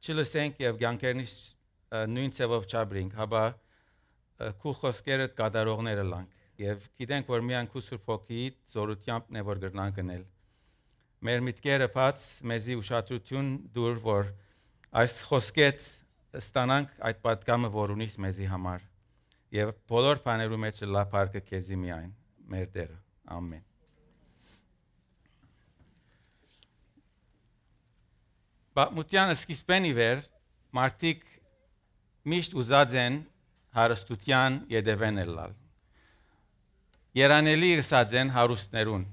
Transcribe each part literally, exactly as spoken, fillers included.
չլսենք եւ ցանկերնից նույն ցավով չաբրինք, հաբա քու խոսքերը կատարողները լանք եւ գիտենք, որ միայն քու Սուրբ Հոգի զորությամբ է որ գրնան գնել։ Մեր միտքերը բաց մեզի ուշադրություն դուր, որ այս խոսքետ ստանանք այդ պատգամը, որ ունիս մեզի համար եւ բոլոր բաներու մեջ լափարկը քեզի միայն մեր Տերը։ Ամեն։ Պատմության սկիզբեն ի վեր մարդիկ միշտ ուզած են հարստության յետևեն ելալ։ Երանելի ըսած են հարուստներուն։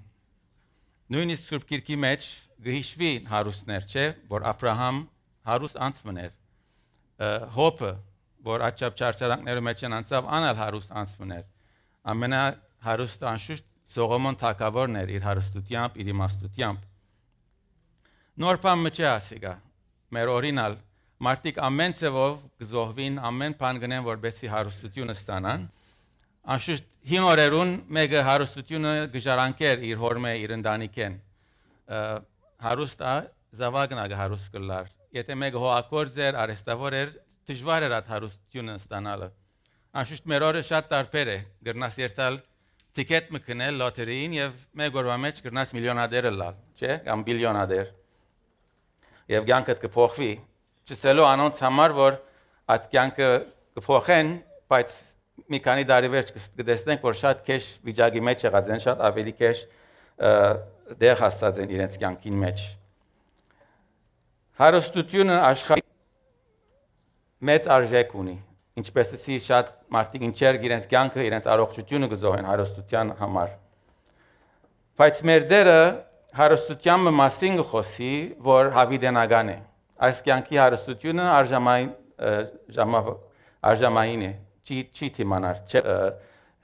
Նույնիսկ Սուրբ Գիրքի մեջ գհիշվի հարուստներ, չէ, որ Աբրահամ հարուստ անցմն էր։ Հոբը, որ աչափ չարչարանքներու մեջ անցավ, անալ հարուստ անցմն էր։ Ամենահարուստը անշուշտ Սողոմոն թագավորն էր իր հարստությամբ, իր իմաստությամբ։ Նոր բան մը չի ասիգա, մեր օրինալ, մարդիկ ամեն ձևով գզոհվին, ամեն բան գնեն, որպեսզի հարստությունը ստանան։ Անշուշտ հին օրերուն մեկը հարստությունը գժարանկեր իր հորմե, իր ընտանիքեն։ Հարուստը զավակն ա հարուստ կլար։ Եթե մեկը հողակորձ էր, արհեստավոր էր, դժվար էր այդ հարստությունը ստանալը։ Անշուշտ մեր օրը շատ տարբեր է, գրնաս երթալ տիկետ մկնել լոտերիին եւ մեկ օրվա մեջ գրնաս միլիոնադեր լալ, չէ՞, կամ բիլիոնադեր։ Եվ կյանքդ կփոխվի, չսելու անոնց համար, որ այդ կյանքը կփոխեն, բայց մի քանի տարի վերջ կտեսնենք, որ շատ քեշ վիճակի մեջ եղած են, շատ ավելի քեշ դեղ հասած են իրենց կյանքին մեջ։ Հարստությունը աշխարհի մեծ արժեք ունի, ինչպես էսի շատ մարդիկ ինչեր իրենց կյանքը, իրենց առողջությունը գզոհեն հարստության համար։ Բայց մեր Տերը հարստության մասին գխոսի, որ հավիտենական է։ Այս կյանքի հարստությունը արժամային արժամային է, չի թիմանար, չէ,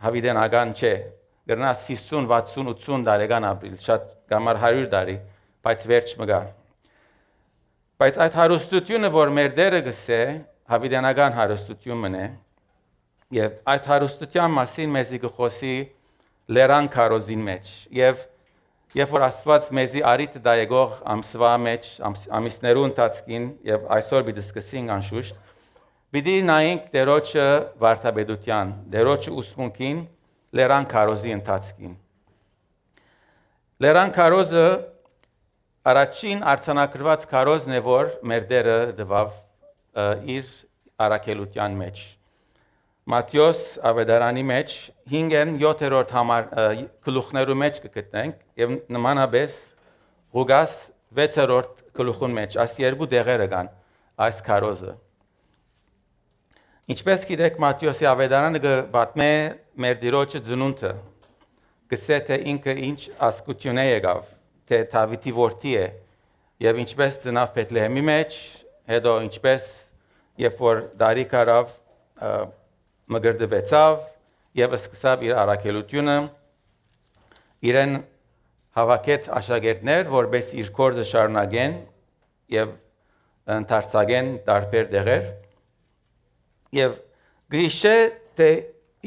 հավիտենական չէ։ Գրնաս հիսուն, վաթսուն, ութսուն տարեկան ապրիլ, շատ կամ հարյուր տարի, բայց վերջ մգա։ Բայց այդ հարստությունը, որ մեր Տերը գսե, հավիտենական հարստությունն է, եւ այդ հարստության մասին մեզի գխոսի Լերան քարոզին մեջ, եւ Երբ որ Աստված մեզի արիտ դայգող ամսվա մեջ, ամիսներու ընթացքին եւ այսօր պիտի սկսենք անշուշտ, պիտի նայենք Տերոջը վարդապետության, Տերոջը ուսմունքին, Լերան քարոզի ընթացքին։ Լերան քարոզը առաջին արձանագրված քարոզն է, որ մեր Տերը տվավ իր առաքելության մեջ։ Մատթեոս ավետարանի մեջ հինգն յոթերորդ համար գլուխներու մեջ կգտնենք եւ նմանապես Ղուկաս վեցերորդ գլուխուն մեջ այս երկու դեղերը կան այս քարոզը։ Ինչպես գիտեք Մատթեոսի ավետարանը կպատմե մեր Տիրոջը ծնունդը, գսե թե ինքը ինչ ասկություն է եղավ, թե Դավիթի որդի է եւ ինչպես ծնավ Բեթլեհեմի մեջ, հետո ինչպես երբ որ դարիք արավ մգրդվեցավ եւ սկսավ իր առաքելությունը, իրեն հավաքեց աշակերտներ, որպես իր գործը շարունակեն եւ ընդարձակեն տարբեր տեղեր եւ գիշե թե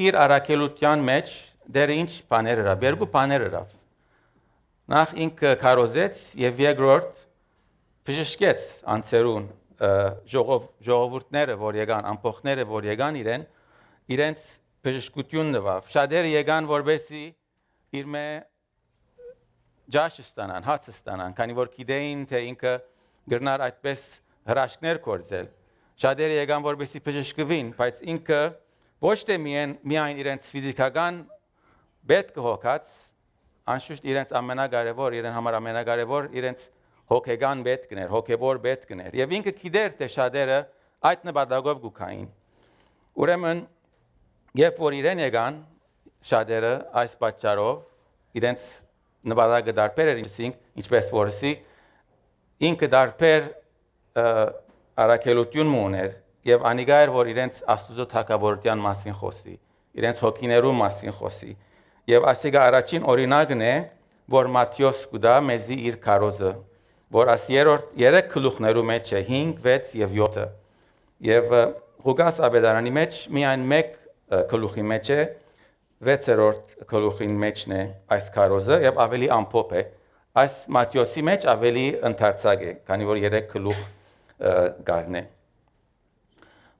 իր առաքելության մեջ դեր ինչ բաներ էր, երկու բաներ էր։ Նախ ինքը քարոզեց եւ երկրորդ բժշկեց անցերուն ժողով ժողովուրդները, որ եկան, ամփոխները, որ եկան իրեն իրենց բժշկությունն տվավ։ Շատերը եկան, որպեսզի իր մե ջաշ ստանան, հաց ստանան, քանի որ գիտեին, թե ինքը գրնար այդպես հրաշքներ կործել։ Շատերը եկան, որպեսզի բժշկվին, բայց ինքը ոչ թե միայն իրենց ֆիզիկական պետք հոգած, անշուշտ իրենց ամենակարևոր, իրեն համար ամենակարևոր իրենց հոգեգան պետքն էր, հոգեվոր պետքն էր։ Եվ ինքը գիտեր, թե շատերը այդ նպատակով գուքային։ Ուրեմն երբ որ իրեն եկան շատերը այս պատճառով իրենց նպատակը դարբեր էր, ինչպես որսի ինքը դարբեր առաքելություն ուներ եւ անիգա էր, որ իրենց Աստծո թագավորության մասին խոսի, իրենց հոգիներու մասին խոսի։ Եվ ասիգա առաջին օրինակն է, որ Մատթեոս կուտա մեզի իր քարոզը, որ աս երրորդ երեք գլուխներու մեջ է հինգ, վեց եւ յոթը։ Եվ Ղուկաս ավետարանի մեջ միայն մեկ գլուխի մեջ է, վեցերորդ գլուխին մեջն է այս քարոզը եւ ավելի ամփոփ է։ Այս Մատթեոսի մեջ ավելի ընդարձակ է, քանի որ երեք գլուխ գարնե։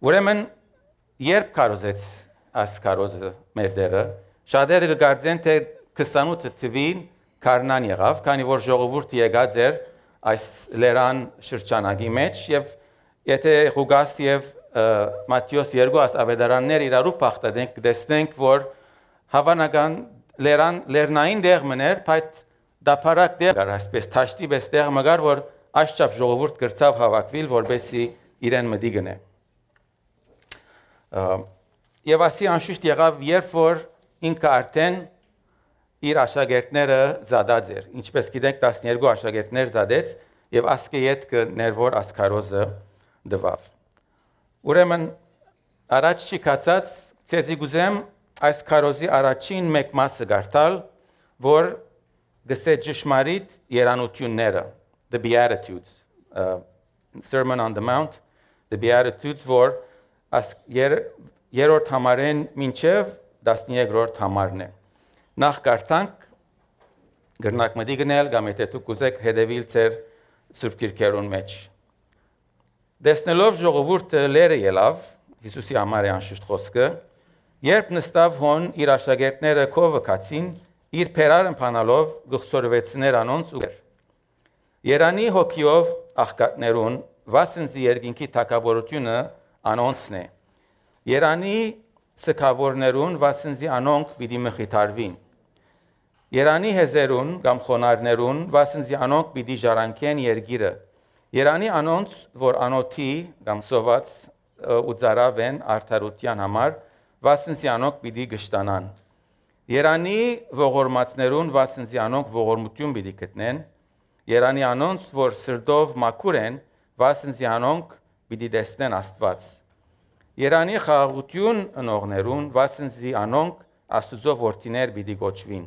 Ուրեմն երբ կարոզեց այս կարոզը մեր դերը, շատերը կգարձեն, թե քսանութ թվին քարնան եղավ, քանի որ ժողովուրդը եկած էր այս լերան շրջանակի մեջ եւ եթե Ղուկաս եւ Մատթեոս երկու ավետարաններ իրարու փախտենք, կտեսնենք, որ հավանական լերան լեռնային դեղմն էր, բայց դափարակ դեղ էր, այսպես թաշտի պես դեղ մգար, որ այսչափ ժողովուրդ գրծավ հավաքվել, որբեսի իրեն մտի գնե։ Եվ ասի անշուշտ եղավ, երբ որ ինքը արդեն իր աշակերտները զադած էր, ինչպես գիտենք տասներկու աշակերտներ զադեց եւ ասկե յետքը ներվոր ասկարոզը դվավ։ Ուրեմն առաջ չկացած ցեզի գուզեմ այս կարոզի առաջին մեկ մասը գարտալ, որ գսե ճշմարիտ երանությունները, the Beatitudes, uh, Sermon on the Mount, the Beatitudes, որ աս եր, երորդ համարեն մինչև տասներորդ համարն է։ Նախ գարտանք, գրնակ մդի գնել, կամ եթե դուք ուզեք հետևիլ ձեր Սուրբ Գրքերուն մեջ։ Դեսնելով ժողովուրդը լերը ելավ, Հիսուսի համար է անշուշտ խոսքը, երբ նստավ հոն իր աշակերտները քովը կացին, իր փերարը փանալով գխսորվեցներ անոնց ու Երանի հոգիով աղքատներուն վասնզի երկինքի թակավորությունը անոնցն է։ Երանի սքավորներուն վասնզի անոնք պիտի մխիթարվին։ Երանի հեզերուն կամ խոնարներուն վասնզի անոնք պիտի ժառանգեն երգիրը։ Երանի անոնց, որ անոթի կամ սոված ու ծարավ են արդարության համար, վասնզի անոնք պիտի գշտանան։ Երանի ողորմածներուն վասնզի անոնք ողորմություն պիտի գտնեն։ Երանի անոնց, որ սրտով մաքուր են, վասնզի անոնք պիտի տեսնեն Աստված։ Երանի խաղաղություն ընողներուն, վասնզի անոնք Աստուծո որդիներ պիտի գոչվին։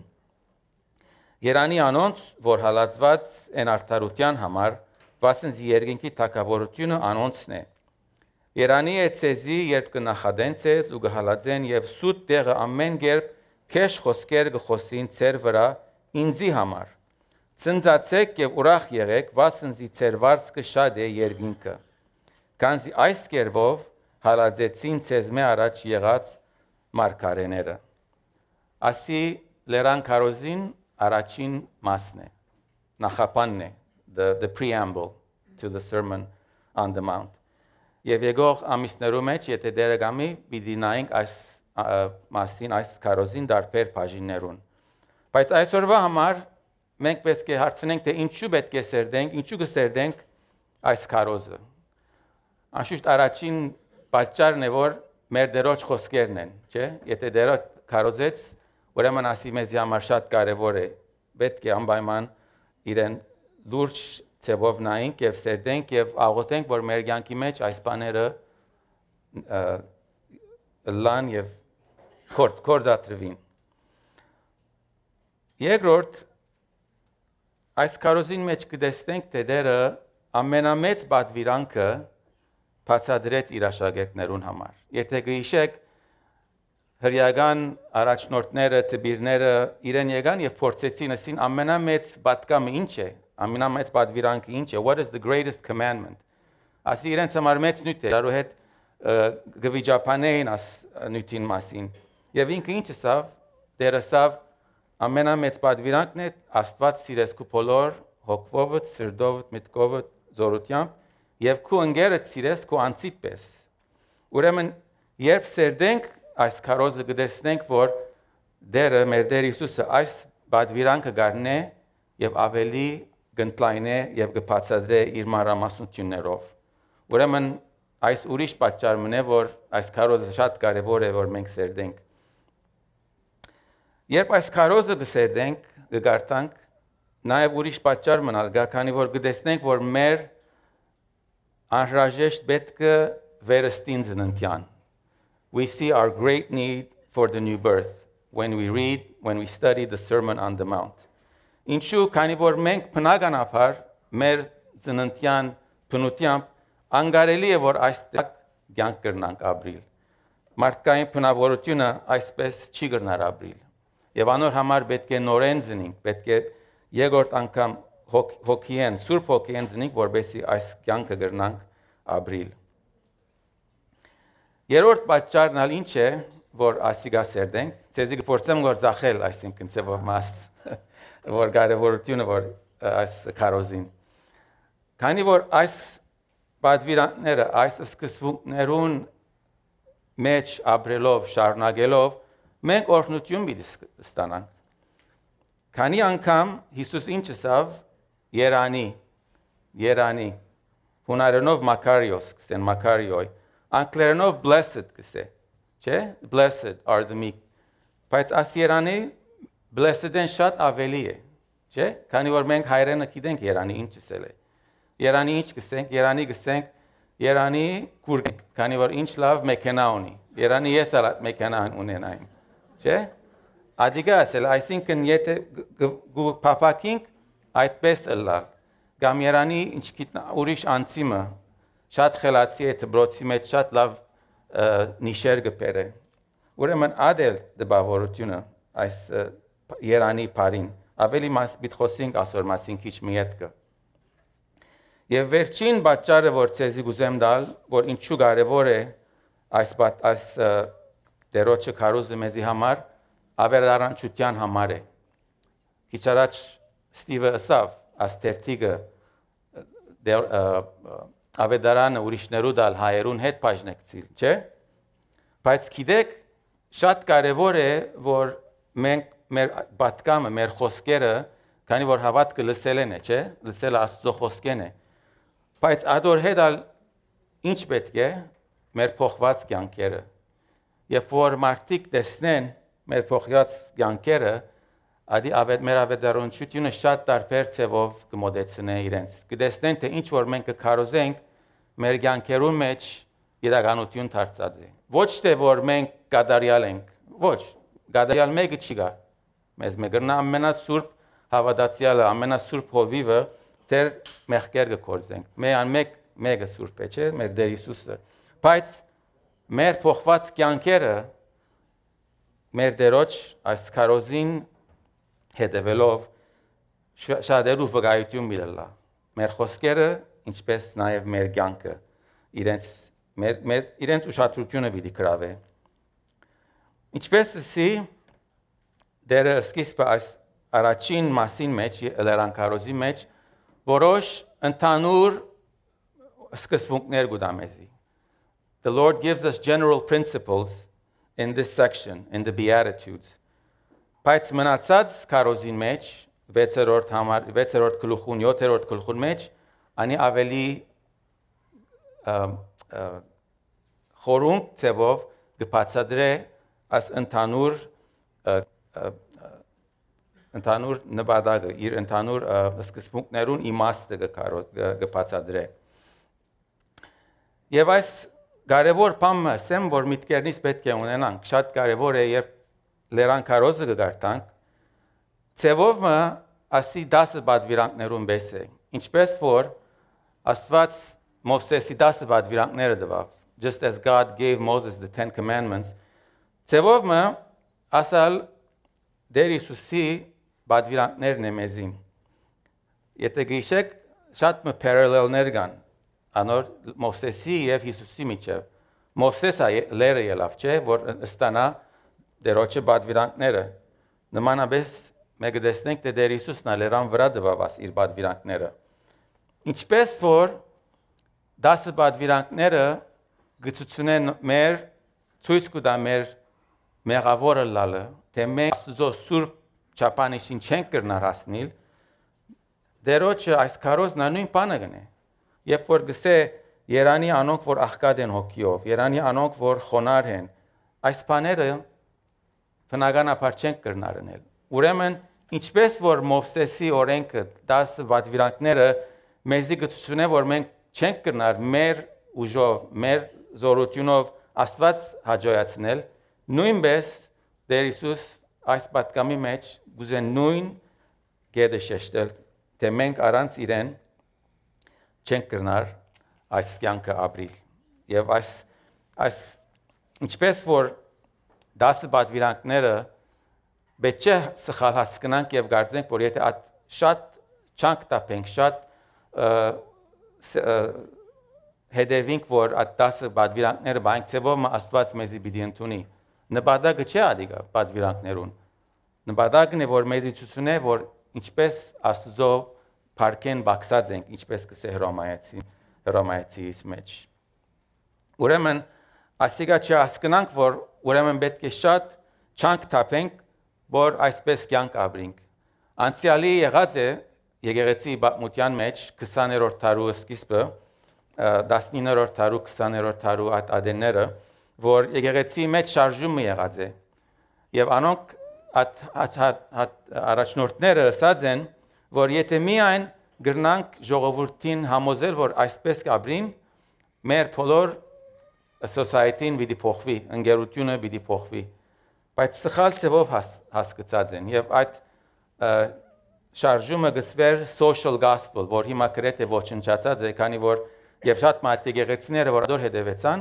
Երանի անոնց, որ հալածված են արդարության համար, վասնզի երկինքի թակավորությունը անոնցն է։ Երանի է ցեզի, երբ կնախադեն ցեզ ու կհալածեն եւ սուտ տեղը ամեն կերպ քեշ խոսքեր կխոսին ցեր վրա ինձի համար։ Ցնծացեք եւ ուրախ եղեք, վասնզի ցեր վարձքը շատ է երկինքը։ Քանզի այս կերպով հալածեցին ցեզ մե առաջ եղած մարգարեները։ Ասի լերան կարոզին առաջին մասն է, նախապանն է, the, the preamble to the Sermon on the Mount։ Եվ եկող ամիսներու մեջ, եթե դերը գամի, պիտի նայենք այս մասին, այս կարոզին դարբեր բաժիններուն։ Բայց այսօրվա համար մենք պետք է հարցնենք, թե ինչու պետք է սերդենք, ինչու կսերդենք այս կարոզը։ Անշուշտ առաջին պատճառն է, որ մեր դերոջ խոսքերն են, չէ՞։ Եթե դերը կարոզեց, ուրեմն ասի մեզ համար շատ կարևոր է, պետք է անպայման իրեն լուրջ ցեվով նայենք եւ սերդենք եւ աղոթենք, որ մեր կյանքի մեջ այս բաները լան եւ կորձատրվին։ Երկրորդ, այս կարոզին մեջ կտեսնենք, թե դերը ամենամեծ պատվիրանքը բացատրեց իր աշակերտներուն համար։ Եթե գիշեք հրյական առաջնորդները, տբիրները իրեն եկան եւ փորձեցին ասին ամենամեծ պատկամը ինչ է, ամենամեծ պատվիրանքը ինչ է, what is the greatest commandment։ Ասի իրենց համար մեծ նյութ է, դարու հետ գվիճապանեին աս նյութին մասին։ Եվ ինքը ինչ ասավ, դերը ասավ ամենամեծ պատվիրանքն է Աստված սիրես քու բոլոր հոգովդ, սրտովդ, միտքովդ, զորությամբ եւ քու ընկերդ սիրես քու անձիդ պես։ Ուրեմն երբ սերդենք այս կարոզը կտեսնենք, որ դերը մեր Տեր Հիսուսը այս պատվիրանքը գարնե եւ ավելի կընդլայնե եւ կբացատրե իր մանրամասնություններով։ Ուրեմն այս ուրիշ պատճառ մնե, որ այս կարոզը շատ կարեւոր է, որ մենք սերդենք։ Երբ այս կարոզը կսերդենք, կգարտանք, նաեւ ուրիշ պատճառ մնալ գա, քանի որ կտեսնենք, որ մեր անհրաժեշտ պետքը վերստին ծննդյան։ We see our great need for the new birth when we read, when we study the Sermon on the Mount. Ինչու, քանի որ մենք բնականաբար մեր ծննդյան բնությամբ անգարելի է, որ այստեղ կյանք կրնանք ապրիլ։ Մարդկային բնավորությունը այսպես չի կրնար ապրիլ։ Եվ անոր համար պետք է նորեն ծնենք, պետք է երկրորդ անգամ հոգիեն, Սուրբ Հոգիեն ծնենք, որբեսի այս կյանքը կրնանք ապրիլ։ Երրորդ պատճառն ալ ինչ է, որ ասիգա սերդենք, ցեզի կփորձեմ որ ծախել, այսինքն ծեվով մաս, որ կարևորությունը որ այս քարոզին։ Քանի որ այս պատվիրանքները, այս սկզբունքներուն մեջ ապրելով, շարունակելով, մենք օրհնություն պիտի ստանանք։ Քանի անգամ Հիսուս ինչ ասավ, Երանի, Երանի, հունարենով Մակարիոս, կսեն Մակարիոյ, անգլերենով blessed կսե, չէ, blessed are the meek, բայց այս Երանի blessed-ն շատ ավելի է, չէ, քանի որ մենք հայերենը գիտենք Երանի ինչ ասել է, Երանի ինչ կսենք, Երանի կսենք, Երանի կուր, քանի որ ինչ լավ մեքենա ունի, Երանի ես ալ մեքենա ունենայինք, չէ, Ադիգա ասել, այսինքն եթե գուփափակինք այդպես ըլլա, գամ Երանի ինչ գիտնա ուրիշ անցիմը, շատ խելացի է դբրոցի մեջ շատ լավ նիշեր գպերը, ուրեմն ադել դբավորությունը այս Երանի բարին, ավելի մաս պիտի խոսենք ասոր մասին քիչ մի ետքը։ Եվ վերջին պատճառը, որ ցեզի գուզեմ դալ, որ ինչու կարևոր է այս այս դերոջը քարոզը մեզի համար, ավերարանչության համար է։ Քիչ առաջ Ստիվը ասավ, աստերտիգը ավետարանը ուրիշներու դալ հայերուն հետ բաժնեկցիլ, չէ՞։ Բայց գիտեք, շատ կարևոր է, որ մենք մեր պատկամը, մեր խոսքերը, քանի որ հավատքը լսել են է, չէ՞, լսելը Աստծո խոսքեն է։ Բայց ադոր հետ ալ ինչ պետք է մեր փոխված կյանքերը։ Երբ որ մարդիկ տեսնեն մեր փոխված կյանքերը, ադի ավետ մեր ավետարանչությունը շատ տարբեր ցևով կմոդեցնե իրենց։ Կտեսնեն թե ինչ որ մենք կքարոզենք մեր կյանքերուն մեջ իրականություն դարձած է։ Ոչ թե որ մենք կատարյալ ենք, ոչ, կատարյալ մեկը չի գա։ Մեզ մեկն ամենասուրբ հավատացյալը, ամենասուրբ հովիվը դեր մեղքեր կգործենք։ Մեան մեկ մեկը սուրբ է, չէ՞, մեր Տեր Հիսուսը։ Բայց մեր փոխված կյանքերը մեր դերոջ այս քարոզին հետևելով շատերու վկայություն միլա։ Մեր խոսքերը, ինչպես նաև մեր կյանքը, իրենց մեր մեր իրենց ուշադրությունը պիտի գրավե։ Ինչպես ասի դերը սկիզբը այս առաջին մասին մեջ, լերան քարոզի մեջ, որոշ ընդհանուր սկզբունքներ գուտամեզի։ The Lord gives us general principles in this section, in the Beatitudes. Բայց մնացած քարոզին մեջ, վեցերորդ համար, վեցերորդ գլուխուն, յոթերորդ գլուխուն մեջ, անի ավելի խորունկ ցևով կբացատրե այս ընդհանուր ընդհանուր նպատակը, իր ընդհանուր սկզբունքներուն իմաստը կբացատրե։ Եվ այս կարևոր բանը ասեմ, որ միտքերնից պետք է ունենանք, շատ կարևոր է, երբ լերան քարոզը կգարտանք, ցևով մը ասի դասը պատվիրանքներուն բես է, ինչպես որ Աստված Մովսեսի դասը պատվիրանքները տվավ, just as God gave Moses the Ten Commandments, ցևով մը ասալ Տեր Հիսուսի պատվիրանքներն է մեզին։ Եթե գիշեք, շատ մը parallel-ներ կան, անոր Մովսեսի եւ Հիսուսի միջև։ Մովսեսը լերը ելավ, չէ, որ ստանա դերոջը պատվիրանքները։ Նմանապես մենք տեսնենք, թե Տեր Հիսուսն լերան վրա տվավ իր պատվիրանքները։ Ինչպես որ դասը պատվիրանքները գծությունեն մեր ցույց կտա մեր մեղավորը լալը, թե մենք Աստծո սուրբ չափանիշին չենք կրնար հասնել, դերոջը այս քարոզն նույն բանը կնե։ Երբ որ գսե Երանի անոնք, որ աղքատ են հոգիով, Երանի անոնք, որ խոնար են, այս բաները բնականաբար չենք կրնար անել։ Ուրեմն, ինչպես որ Մովսեսի օրենքը, դասը պատվիրանքները մեզի գծություն է, որ մենք չենք կրնար մեր ուժով, մեր զորությունով Աստված հաջողացնել, նույնպես Տեր Հիսուս այս պատկամի մեջ գուզեն նույն գեդը շեշտել, թե մենք առանց իրեն չենք կրնար այս կյանքը ապրիլ։ Եվ այս այս ինչպես որ դասը պատվիրանքները պետք է սխալ հասկանանք եւ կարծենք, որ եթե շատ չանք տապենք, շատ հետևենք, որ այդ դասը պատվիրանքները բանք ծևով Աստված մեզի պիտի ընդունի։ Նպատակը չէ ադիգա պատվիրանքներուն։ Նպատակն է, որ մեզի ցույցնե, որ ինչպես Աստծո փառքեն բացած ենք, ինչպես կսե Հռոմայացի, Հռոմայացիս մեջ։ Ուրեմն ասիկա չհասկանանք, որ ուրեմն պետք է շատ չանք թափենք, որ այսպես կյանք ապրենք։ Անցյալի եղած է եկեղեցի պատմության մեջ քսաներորդ դարու սկիզբը, տասնիններորդ դարու, քսաներորդ դարու այդ ադենները, որ եկեղեցի մեջ շարժումը եղած է։ Եվ անոնք առաջնորդները ասած են, որ եթե միայն գրնանք ժողովրդին համոզել, որ այսպես կապրին, մեր բոլոր society-ն պիտի փոխվի, ընկերությունը պիտի փոխվի։ Բայց սխալ ձևով հասկացած են եւ այդ շարժումը գսվեր social gospel, որ հիմա գրեթե ոչնչացած է, քանի որ եւ շատ մատ եկեղեցիները, որ դոր հետևեցան,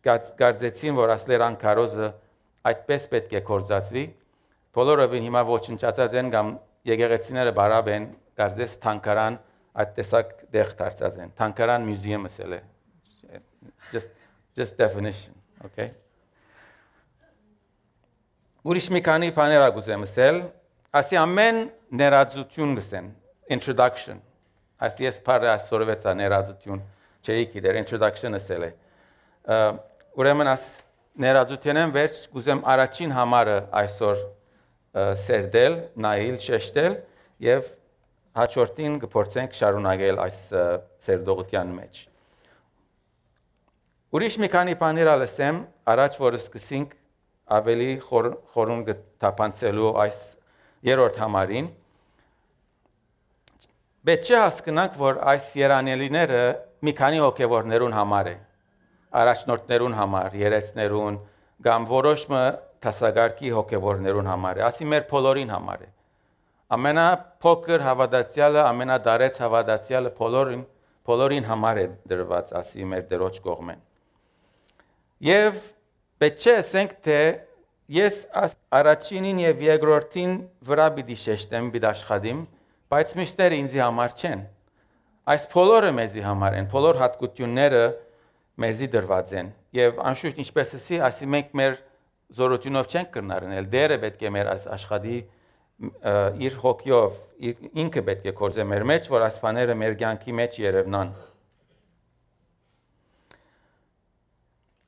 գարձեցին, որ ասլերան քարոզը այդպես պետք է կորզածվի։ Բոլորովին հիմա ոչնչացած են կամ եկեղեցիները բարավ են, գարձես թանկարան այդ տեսակ դեղ դարձած են։ Թանկարան մյուզեում ասել է։ Just just definition, okay? Ուրիշ մի քանի բաներ ագուզեմ ասել, ասի ամեն ներածություն գսեն, introduction։ Ասի ես բարը ասորվեցա ներածություն, չէի գիտեր introduction ասել է։ Ուրեմն աս ներածությունն վերջ գուզեմ առաջին համարը այսօր սերդել, նայել, շեշտել եւ հաջորդին կփորձենք շարունակել այս սերդողության մեջ։ Ուրիշ մի քանի բաներ ալսեմ, առաջ որ սկսենք ավելի խորուն կթափանցելու այս երրորդ համարին։ Պետք է հասկանանք, որ այս երանելիները մի քանի հոգևորներուն համար է, առաջնորդներուն համար, երեցներուն, կամ որոշ տասագարկի հոգևորներուն համար է, ասի մեր բոլորին համար է։ Ամենափոքր հավատացյալը, ամենադարեց հավատացյալը բոլորին, բոլորին համար է դրված, ասի մեր դրոջ կողմեն։ Եվ պետք է ասենք, թե ես առաջինին եւ երկրորդին վրա պիտի շեշտեմ, պիտի աշխատեմ, բայց մյուսները ինձի համար չեն։ Այս բոլորը մեզի համար են, բոլոր հատկությունները մեզի դրված են։ Եվ անշուշտ ինչպես ասի, ասի մենք մեր զորությունով չենք կրնարնել, դերը պետք է մեր աշխատի իր հոգիով, ինքը պետք է կործե մեր մեջ, որ այս բաները մեր կյանքի մեջ երևնան։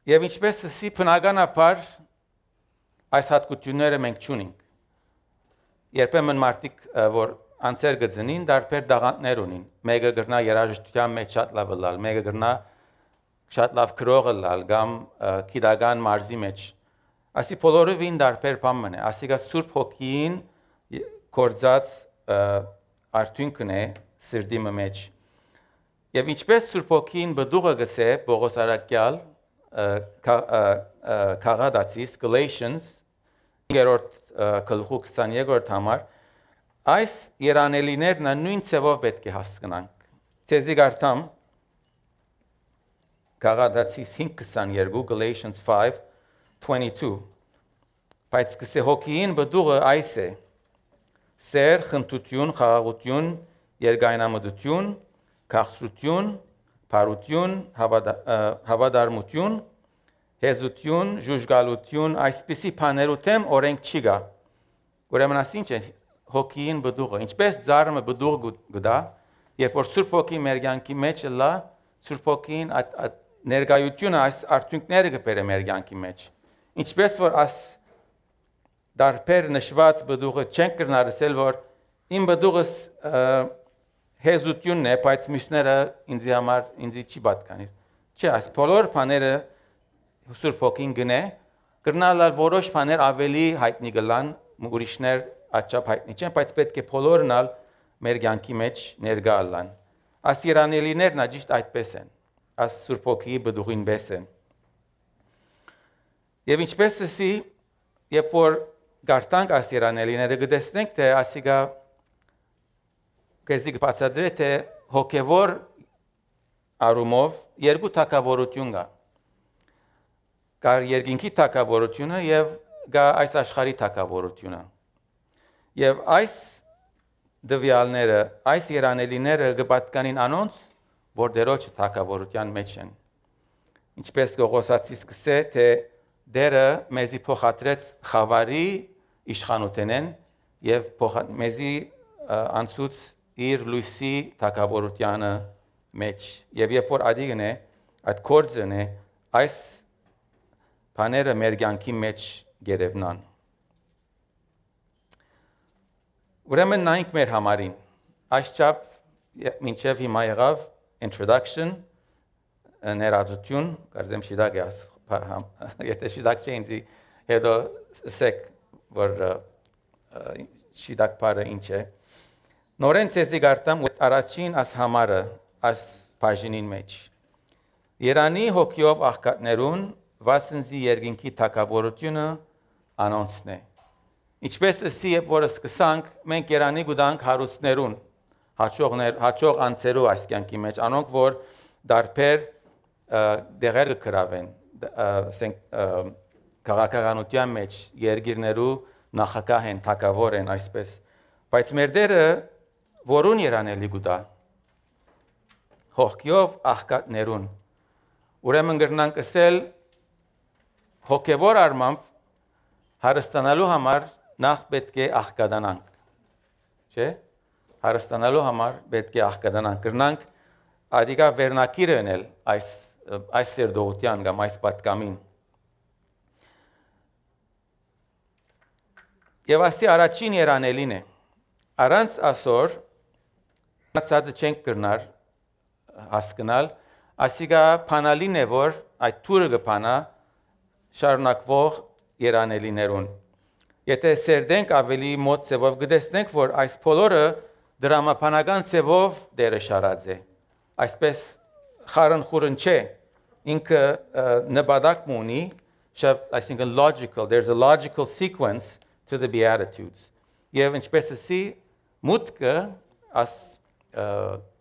Եվ ինչպես ասի, բնականաբար այս հատկությունները մենք չունենք։ Երբեմն մարդիկ, որ անձեր գծնին, դարբեր դաղանտներ ունին։ Մեկը գրնա երաժշտության մեջ շատ լավ լալ, մեկը գրնա շատ լավ գրողը լալ, կամ գիտական մարզի մեջ։ Ասի բոլորովին դարբեր բան է, ասիկա Սուրբ Հոգին կործած արդյունքն է սրտի մեջ։ Եվ ինչպես Սուրբ Հոգին բդուղը գսե Պողոս արաքյալ քաղաքացիս Galatians երրորդ գլխու քսաներորդ համար, այս երանելիներն նույն ցևով պետք է հասկանանք։ Ցեզի գարտամ քաղաքացիս հինգ քսաներկու Galatians five twenty-two Բայց կսե հոգին բդուղը այս է. սեր, խնդություն, խաղաղություն, երկայնամտություն, քաղցրություն, բարություն, հավատարմություն, հեզություն, ժուժգալություն, այսպիսի բաներու թեմ օրենք չի գա։ Ուրեմն ասինչ է հոգին բդուղը, ինչպես ծառը բդուղ գտա, երբ որ Սուրբ Հոգի մեր կյանքի մեջ լա, Սուրբ Հոգին ներկայությունը այս արդյունքները կբերե մեր կյանքի մեջ։ Ինչպես որ աս դարբեր նշված բդուղը չենք կրնարսել, որ իմ բդուղս հեզությունն է, բայց մյուսները ինձի համար ինձի չի պատկանիր։ Չէ, այս բոլոր բաները Սուրբ Հոգին գնե, կրնալալ որոշ բաներ ավելի հայտնի գլան, ուրիշներ աչափ հայտնի չեն, բայց պետք է բոլորն ալ մեր կյանքի մեջ ներկա ալան։ Աս երանելիներն աջիշտ այդպես են, աս Սուրբ Հոգիի բդուղին պես են։ Եվ ինչպես ասի, երբ որ գարտանք աս երանելիները կտեսնենք, թե ասիկա կեզի կբացատրե, թե հոգևոր առումով երկու թագավորություն կա։ Կա երկինքի թագավորությունը եւ կա այս աշխարհի թագավորությունը։ Եվ այս դվյալները, այս երանելիները կպատկանին անոնց, որ դերոջ թագավորության մեջ են։ ինչպես Գողոսացի սկսե, թե դերը մեզի փոխադրեց խավարի իշխանութենեն եւ մեզի անցուց իր լույսի թակավորությանը մեջ եւ երբ որ ադիգն է այդ կորձն է այս բաները մեր կյանքի մեջ գերևնան ուրեմն նայենք մեր համարին այս չափ մինչև հիմա եղավ introduction ներածություն կարծեմ շիդակ է եթե շիդակ չէ ինձ հետո սեք որ շիդակ բարը ինչ է նորեն ցեզի գարտամ առաջին աս համարը աս բաժինին մեջ Երանի հոգիով աղքատներուն վասնզի երկինքի թակավորությունը անոնցն է ինչպես ասի երբ որ սկսանք մենք Երանի գուտանք հարուստներուն հաճողներ հաճող անձերու այս կյանքի մեջ անոնք որ դարբեր դեղեր կգրավեն ասենք քաղաքականության մեջ երկիրներու նախագահ են թակավոր են այսպես բայց մեր դերը որուն երանելի գուտա հոգիով աղքատներուն ուրեմն գրնանք ասել հոգևոր արմամբ հարստանալու համար նախ պետք է աղքատանանք չէ հարստանալու համար պետք է աղքատանանք գրնանք ադիգա վերնակիրը ենել այս այս սերդողության կամ այս պատկամին եւ ասի առաջին երանելին է առանց ասոր ծածը չենք կրնար հասկանալ ասիգա փանալին է որ այդ թուրը կփանա շարունակվող երանելիներուն եթե սերդենք ավելի մոտ ծևով գտեսնենք որ այս բոլորը դրամապանական ծևով դերը շարած է այսպես խարն խուրն չէ ինքը նպատակ ունի I think a logical there's a logical sequence to the beatitudes եւ ինչպես ասի մուտքը as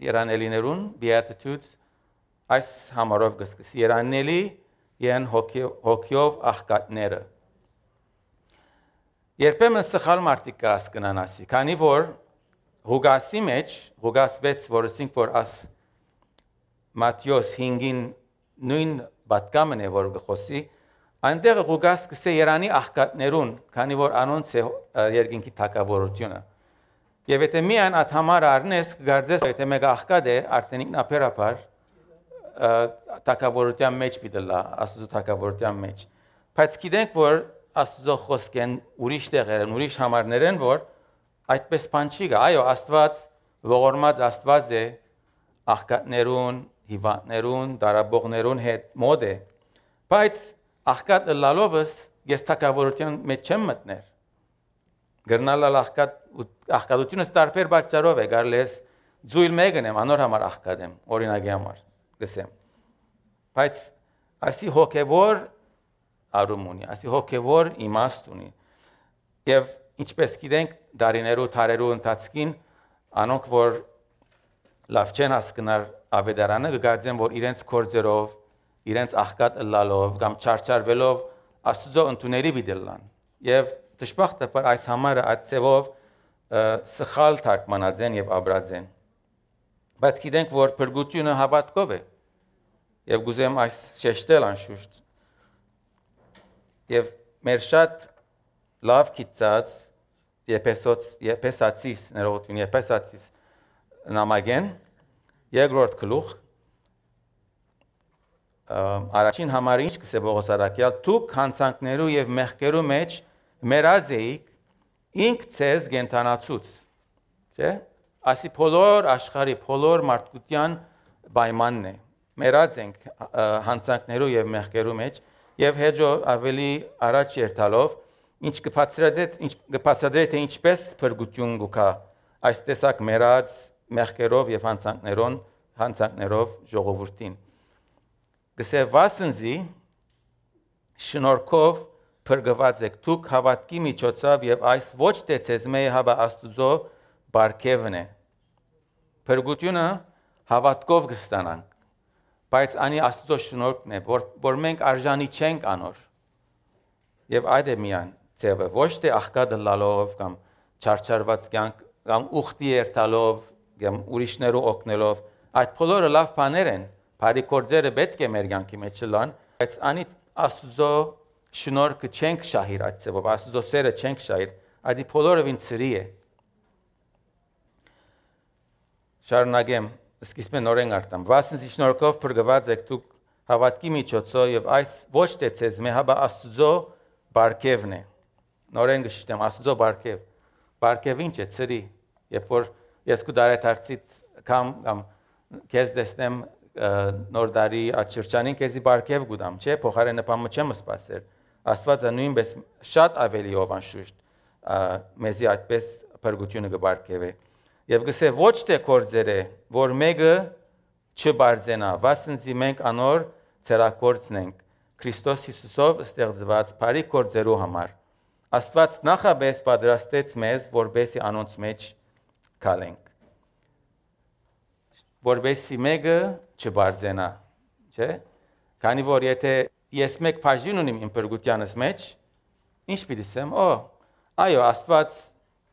երանելիներուն beatitudes այս համարով գսկսի երանելի են հոգիով աղքատները երբեմն սխալ մարդիկ կհասկանան ասի քանի որ Ղուգասի մեջ Ղուգաս վեց որը ասինք որ as Մատթեոս հինգին նույն պատկամն է որ գխոսի այնտեղ Ղուգաս կսե Երանի աղքատներուն քանի որ անոնց է երկինքի թակավորությունը եւ եթե միայն այդ համարը առնես կգարձես եթե մեկ աղքատ է արդեն ինքնաբերաբար թակավորության մեջ պիտելա Աստծո թակավորության մեջ բայց գիտենք որ Աստծո խոսքեն ուրիշ տեղեր են ուրիշ համարներ են որ այդպես բան չի գա այո Աստված ողորմած Աստված է աղքատներուն հիվանդներուն դարաբողներուն հետ մոդ է բայց աղքատ լալովս ես թակավորության մեջ չեմ մտներ գրնալալ աղքատ աղքատությունը տարբեր պատճառով է գարլես ձույլ մեկն եմ անոր համար աղքատ եմ օրինակի համար գսեմ բայց ասի հոգևոր արում ունի ասի հոգևոր իմաստ ունի եւ ինչպես գիտենք դարիներու թարերու ընթացքին անոնք որ լավ չեն հասկնար ավետարանը կգարձեն որ իրենց կորձերով իրենց աղքատ լալով կամ չարչարվելով Աստծո ընդունելի բիդելան եւ դժբախտաբար այս համարը այդ ծևով սխալ թարգմանած են եւ ապրած են բայց գիտենք որ փրկությունը հավատքով է եւ գուզեմ այս շեշտել անշուշտ եւ մեր շատ լավ գիտած Եփեսոց Եփեսացիս ներողություն Եփեսացիս նամակեն երկրորդ գլուխ առաջին համարը ինչ կսե Պողոս առաքյալ դուք հանցանքներու եւ մեղքերու մեջ մերած էիք ինք ցեզ գենթանացուց չէ ասի բոլոր աշխարհի բոլոր մարդկության պայմանն է մերած ենք հանցանքներու եւ մեղքերու մեջ եւ հետո ավելի առաջ երթալով ինչ կփածրադետ ինչ կփածրադետ թե ինչպես փրկություն գուկա այս տեսակ մերած մեղքերով եւ հանցանքներոն հանցանքներով ժողովրդին գսե վասնզի շնորհքով փրկված եք դուք հավատքի միջոցով եւ այս ոչ թե ցեզմե հավա Աստուծո բարգևն է փրկությունը հավատքով կստանանք բայց անի Աստծո շնորհքն է որ որ մենք արժանի չենք անոր եւ այդ է միան ծևը ոչ թե աղքատ լալով կամ չարչարված կյանք կամ ուխտի երթալով կամ ուրիշներու օգնելով այդ բոլորը լավ բաներ են բարի գործերը պետք է մեր կյանքի մեջ լան, բայց անից Աստծո շնորհքը չենք շահիր այդ ձևով, Աստծո սերը չենք շահիր, այդ բոլորովին ծրի է։ Շարունակեմ, սկիզբը նորեն արտամ։ Վասնզի շնորհքով փրկված եք դուք հավատքի միջոցով եւ այս ոչ թե ցեզ մե հաբա Աստծո բարգևն է։ Նորեն գշտեմ, Աստծո բարգև։ Բարգև ինչ է ծրի, երբ որ ես կու դարեթարցից կամ կամ քեզ դեսնեմ նոր դարի աչրջանին քեզի բարգև գուտամ, չէ, փոխարենը բամը չեմ սպասել։ Աստվածը նույնպես շատ ավելի ով անշուշտ մեզի այդպես փրկությունը կբարգևի։ Եվ գսե ոչ թե կորձեր է, որ մեկը չբարձենա, վասնզի մենք անոր ցերակորձն ենք Քրիստոս Հիսուսով ստեղծված բարի կորձերու համար։ Աստված նախաբես պատրաստեց մեզ, որբեսի անոնց մեջ քալենք։ Որբեսի մեկը չբարձենա, չէ՞։ Քանի որ եթե ես մեկ բաժին ունիմ իմ փրկությանս մեջ, ինչ պիտի ասեմ, օ, այո, Աստված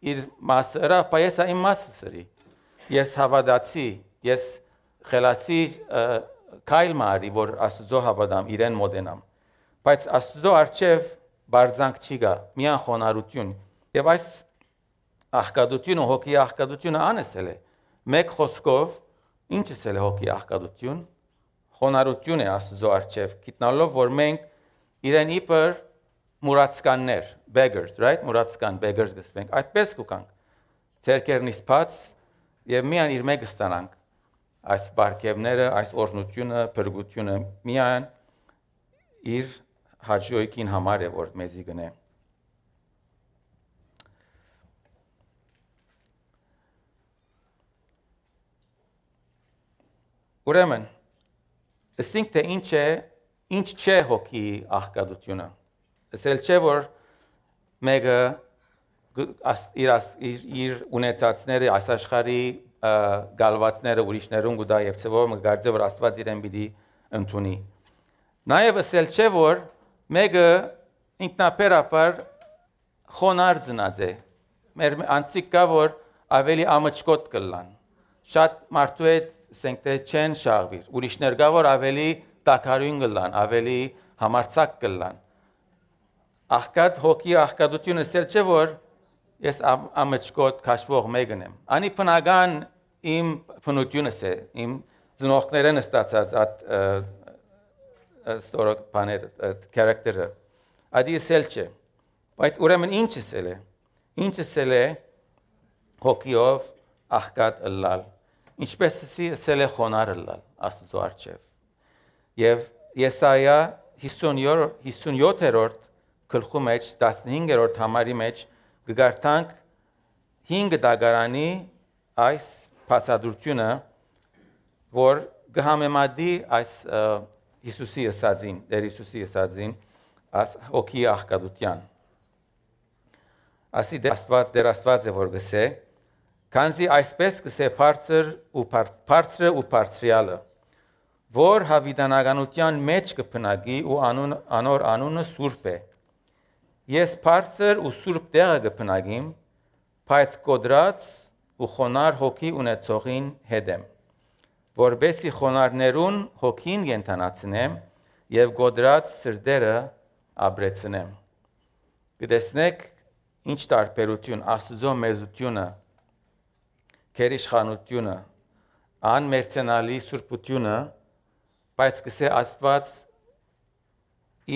իր մասը հրավ, բայց այս իմ մասը սրի։ Ես հավատացի, ես խելացի քայլ մարի, որ Աստծո հավատամ, իրեն մոտենամ։ Բայց Աստծո արչև բարձանք չի գա, միան խոնարհություն։ Եվ այս աղքատությունը, հոգի աղքատությունը անեսել է։ Մեկ խոսքով ինչ է հոգի աղքատություն, խոնարհություն է Աստծո արչև, գիտնալով որ մենք իրեն իբր մուրացկաններ, beggars, right? Մուրացկան beggars գսվենք, այդպես կուկանք։ Ձերքերնից բաց եւ միան իր մեկը ստանանք այս բարգևները, այս օրհնությունը, փրկությունը միան իր հաջողին համար է որ մեզի գնե։ Ուրեմն, ասենք թե ինչ է, ինչ չէ հոգի աղքատությունը։ Ասել չէ որ մեկը իր իր ունեցածները այս աշխարհի գալվածները ուրիշներուն գուտա եւ ծովը մգարձե որ Աստված իրեն պիտի ընդունի։ Նաեւ ասել չէ որ մեկը ինքնաբերաբար խոնար ծնած է։ Մեր անցիկ կա որ ավելի ամճկոտ կլան։ Շատ մարդու հետ ասենք թե չեն շաղվիր, ուրիշներ կա որ ավելի տակարույն կլան, ավելի համարձակ կլան։ Աղքատ հոգի աղքատությունը ասել չէ որ ես ամճկոտ քաշվող մեկն եմ։ Անի բնական իմ բնությունս է, իմ ծնողներն ստացած այդ ստորոք բաներ, քարակտերը։ Ադի ասել չէ։ Բայց ուրեմն ինչ ասել է։ Ինչ ասել է հոգիով աղքատ ըլլալ։ Ինչպես ասել է խոնար ըլլալ Աստծո առջև։ Եվ Եսայա հիսունյոթերորդ գլխու մեջ տասնհինգերորդ համարի մեջ կգարտանք հինգ դագարանի այս բացատրությունը, որ կհամեմատի այս Հիսուսի ասածին, Տեր Հիսուսի ասածին, այս հոգի աղքատության։ Ասի դեր Աստված, դեր Աստված է որ գսե, քանզի այսպես գսե բարձր ու բարձրը ու բարձրյալը, որ հավիտենականության մեջ կփնագի ու անուն անոր անունը Սուրբ է։ Ես բարձր ու Սուրբ տեղը կփնագիմ, բայց կոդրած ու խոնար հոգի ունեցողին հետ եմ, որբեսի խոնարներուն հոգին կենթանացնեմ եւ կոդրած սրտերը ապրեցնեմ։ Գտեսնեք ինչ տարբերություն Աստծո մեծությունը, քերիշխանությունը, անմերցանալի սուրբությունը, բայց գսե Աստված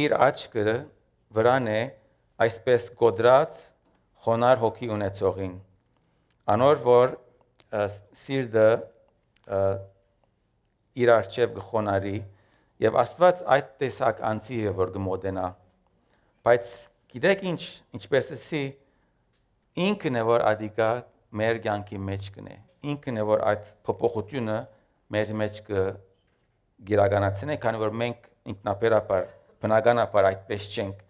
իր աչքը վրան է այսպես կոդրած խոնար հոգի ունեցողին։ Անոր որ սիրտը իր արչև կխոնարի եւ Աստված այդ տեսակ անձի է որ կմոտենա։ Բայց գիտեք ինչ, ինչպես էսի ինքն է որ ադիկա մեր կյանքի մեջ կնե։ Ինքն է որ այդ փոփոխությունը մեր մեջ կգիրականացնի, քանի որ մենք ինքնաբերաբար բնականաբար այդպես չենք։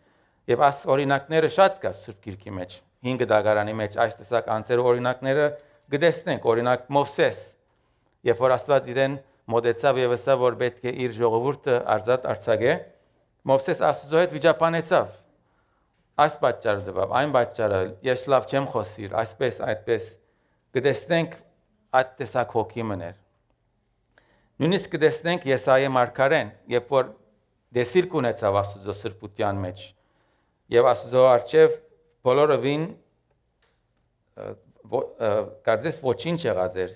Եվ այս օրինակները շատ կա Սուրբ Գիրքի մեջ։ Հինգ դագարանի մեջ այս տեսակ անձեր օրինակները գտեսնենք, օրինակ Մովսես, երբ որ Աստված իրեն մոտեցավ եւ ասավ որ պետք է իր ժողովուրդը ազատ արձակե, Մովսես Աստծո հետ վիճապանեցավ։ Այս պատճառը դեպավ, այն պատճառը, ես լավ չեմ խոսիր, այսպես, այդպես գտեսնենք այդ տեսակ հոգի մներ։ Նույնիսկ կտեսնենք Եսայի մարգարեն, երբ որ դեսիլ կունեցավ Աստծո սրբության մեջ, եւ Աստծո արչեւ բոլորովին կարծես ոչինչ եղած էր,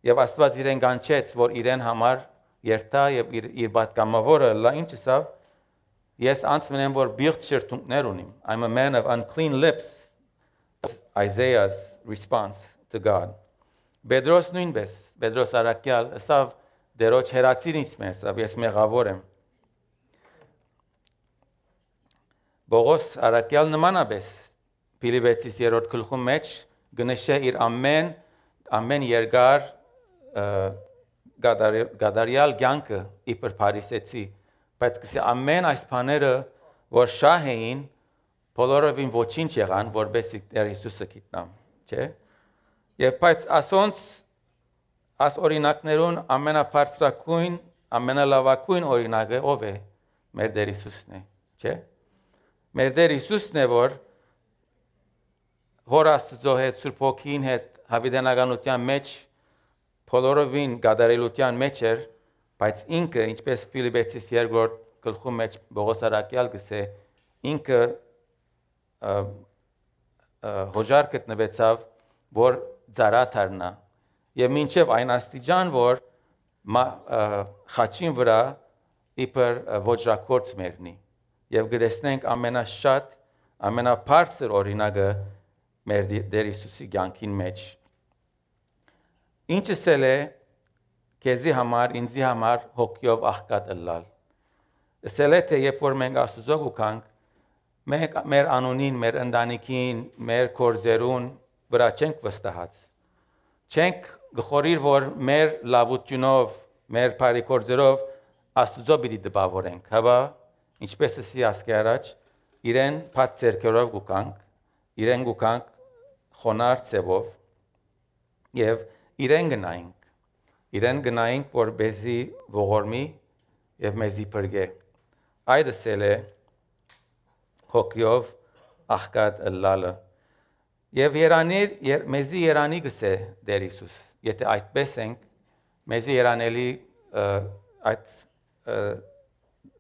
եւ Աստված իրեն կանչեց, որ իրեն համար երթա եւ իր, իր պատգամավորը լա ինչ ասավ, ես անցնեմ որ բիղծ շրթունքներ ունիմ. I'm a man of unclean lips. Isaiah's response to God. Պետրոս նույնպես, Պետրոս Արաքյալ ասավ դերոջ հերացինից մեզ, ես մեղավոր եմ։ Պողոս Արաքյալ նմանապես Փիլիպպեցիս երրորդ գլխում մեջ գնշե իր ամեն ամեն երկար գադարյալ կյանքը իբր փարիսեցի, բայց կսի ամեն այս բաները որ շահ էին, բոլորովին ոչինչ եղան, որբեսի Տեր Հիսուսը գիտնամ, չէ՞։ Եվ բայց ասոնց աս օրինակներուն ամենաբարձրակույն, ամենալավակույն օրինակը ով է։ Մեր Տեր Հիսուսն է, չէ՞։ Մեր Տեր Հիսուսն է, որ Հոր Աստծո հետ, Սուրբ Հոգին հետ հավիտենականության մեջ բոլորովին գադարելության մեջ էր, բայց ինքը, ինչպես Փիլիպպեցիս երկրորդ գլխում մեջ Պողոս Արաքյալ գսե, ինքը հոժար գտնվեցավ, որ ծառա դառնա, եւ մինչեւ այն աստիճան, որ խաչին վրա իբր ոչրակորց մեռնի, եւ գտեսնենք ամենաշատ, ամենաբարձր օրինակը մեր Տեր Հիսուսի կյանքին մեջ։ Ինչս էլ է քեզի համար, ինձի համար հոգիով աղքատ ըլլալ։ Ասել է թե երբ որ մենք Աստծո գուքանք, մենք մեր անունին, մեր ընտանիքին, մեր կորձերուն վրա չենք վստահած։ Չենք գխորիր, որ մեր լավությունով, մեր բարի կորձերով Աստծո պիտի դպավորենք, հապա ինչպես ասի ասկի առաջ, իրեն փակ ձեռքերով գուքանք, իրեն գուքանք խոնար ցևով եւ իրեն գնայինք, իրեն գնայինք, որբեսի ողորմի եւ մեզի բրգե։ Այդս էլ է հոգիով աղքատ ըլլալը։ Եվ երանի մեզի երանի գսե Տեր Հիսուս, եթե այդպես ենք, մեզի երանելի այդ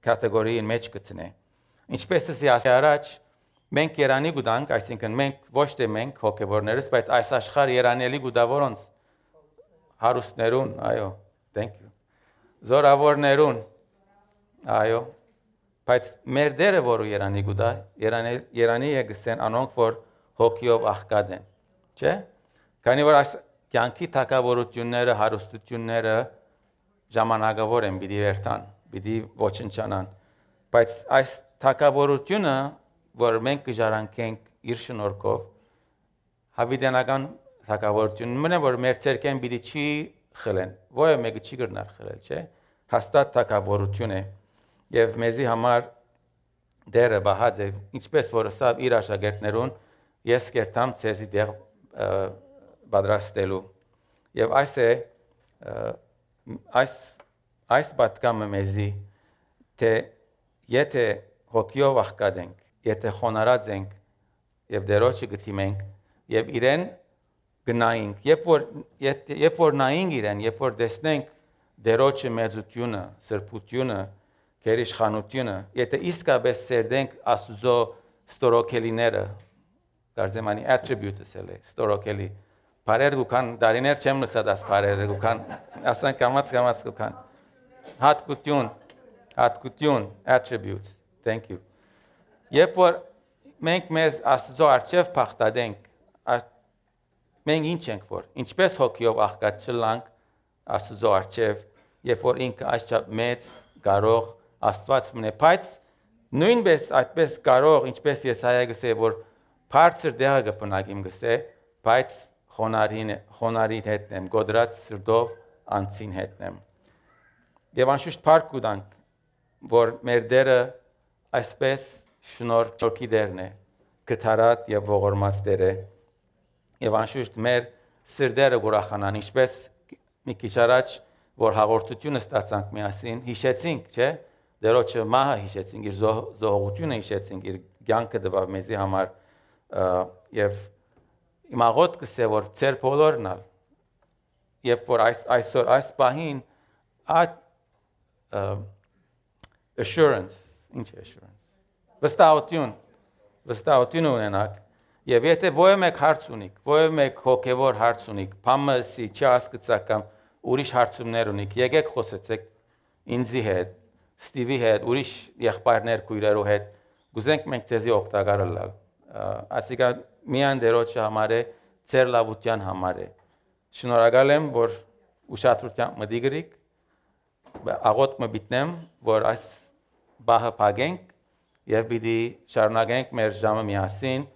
կատեգորիին մեջ գտնե։ Ինչպես ասի առաջ, մենք երանի գուտանք, այսինքն մենք ոչ թե մենք հոգևորներս, բայց այս աշխարհ երանելի գուտա որոնց հարուստներուն, այո, thank you։ Զորավորներուն, այո, բայց մեր Տերը որը երանի գուտա, երանի երանի է գսեն անոնք որ հոգիով աղքատ են, չէ՞։ Քանի որ այս կյանքի թակավորությունները, հարստությունները ժամանակավոր են, պիտի վերթան, պիտի ոչնչանան, բայց այս թակավորությունը, որ մենք կժարանքենք իր շնորհքով, հավիտենական թակավորություն, մնա որ մեր ցերկեն պիտի չի խլեն, ո՞ը մեկը չի գրնար խլել, չէ՞։ Հաստատ թակավորություն է, եւ մեզի համար դերը բահած է, ինչպես որ ասավ իր աշակերտներուն, ես կերտամ ցեզի դեղ պատրաստելու։ Եվ այս է այս այս պատկամը մեզի թե եթե հոգիով աղքատ ենք, եթե խոնարհած ենք եւ դերոջը գտիմենք եւ իրեն գնայինք, երբ որ երբ որ նայենք իրեն, երբ որ տեսնենք դերոջը մեծությունը, սրբությունը, գերիշխանությունը, եթե իսկապես սերդենք Աստծո ստորոքելիները, կարծեմ անի attributes էլ է, ստորոքելի, բարեր գուքան, դարիներ չեմ լսած աս բարերը գուքան, ասան կամաց կամաց գուքան, հատկություն, հատկություն, attributes, thank you։ Երբ որ մենք մեզ Աստծո առջև փախտadենք, մենք ինչ ենք որ, ինչպես հոգիով աղքատ չլանք Աստծո առջև, երբ որ ինքը այսչափ մեծ, կարող Աստված մնե, բայց նույնպես այդպես կարող, ինչպես Եսայա գսե, որ բարձր դեղը կպնակիմ գսե, բայց խոնարհին խոնարհին հետնեմ, գոդրած սրտով անցին հետնեմ։ Եվ անշուշտ փառք կուտանք, որ մեր Տերը այսպես շնորհքի Տերն է, գթարատ եւ ողորմած Տեր է։ Եվ անշուշտ մեր սրտերը ուրախանան, ինչպես մի քիչ առաջ որ հաղորդությունը ստացանք միասին, հիշեցինք, չէ՞, դերոջը մահը հիշեցինք, իր զոհությունը հիշեցինք, իր կյանքը տվավ մեզի համար եւ իմ աղոտ կսե որ ծեր բոլորն ալ, երբ որ այս այսօր այս պահին Այդ assurance, ինչ է assurance, վստահություն, վստահություն ունենաք, եւ եթե ո՞յ մեկ հարց ունիք, ո՞յ մեկ հոգեվոր հարց ունիք, բամսի չհասկացաք կամ ուրիշ հարցումներ ունիք, եկեք խոսեցեք ինձի հետ, Ստիվի հետ, ուրիշ եղբայրներ քույրերու հետ, գուզենք մենք ձեզի օգտակար լինել։ Այսինքն միան դերոջը համար է, ձեր լավության համար է։ Շնորհակալ եմ, որ ուշադրությամբ մտիգրիք, աղոտ մբիտնեմ, որ այս բահը փակենք եւ պիտի շարունակենք մեր ժամը միասին,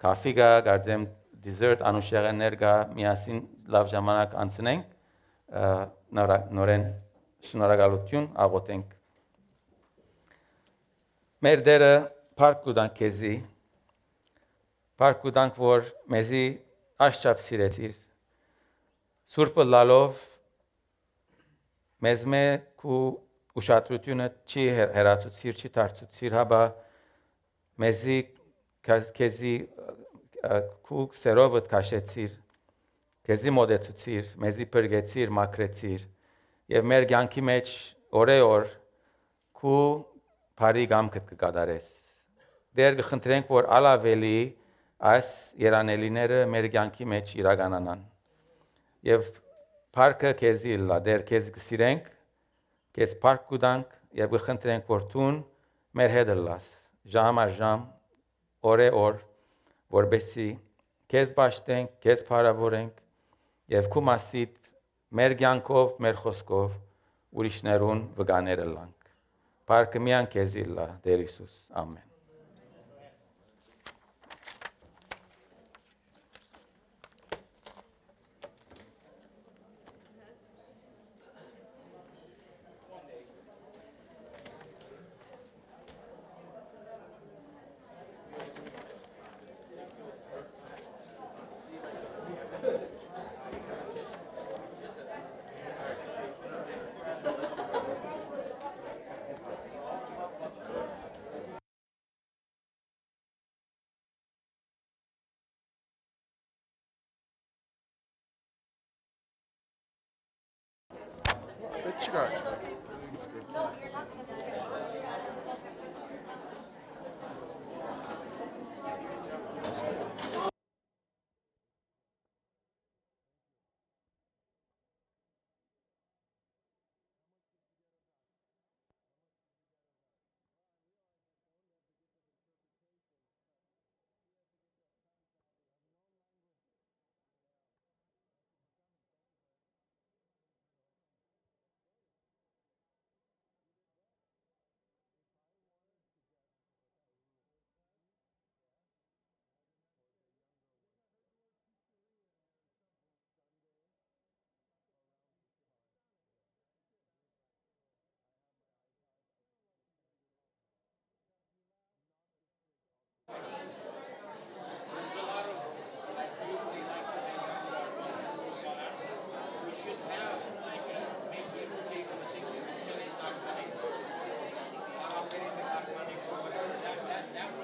կաֆի գա, գարձեմ դիզերտ անուշեղեններ գա, միասին լավ ժամանակ անցնենք, նորեն շնորհակալություն աղոթենք։ Մեր դերը փառք կուտանք քեզի, փառք կուտանք, որ մեզի աշճապ սիրեցիր, Սուրբը լալով մեզ մեկ ու ուշադրությունը չի հեռացուցիր, չի դարձուցիր, հաբա մեզի քեզի քու սերովդ քաշեցիր, քեզի մոդեցուցիր, մեզի բրգեցիր, մաքրեցիր, եւ մեր կյանքի մեջ օրեօր քու բարի գամքդ կկատարես։ Դեր կխնդրենք, որ ալավելի այս երանելիները մեր կյանքի մեջ իրականանան։ Եվ փառքը քեզի լա, դեր քեզ կսիրենք, քեզ փառք կուտանք եւ կխնդրենք, որ դուն մեր հետ լաս, ժամ առ ժամ, օրե օր, որբեսի քեզ բաշտենք, քեզ փառավորենք եւ քու մասիդ մեր կյանքով, մեր խոսքով ուրիշներուն վկաները լանք։ Փառքը միան քեզի լա, Տեր Հիսուս, ամեն։ Let's go.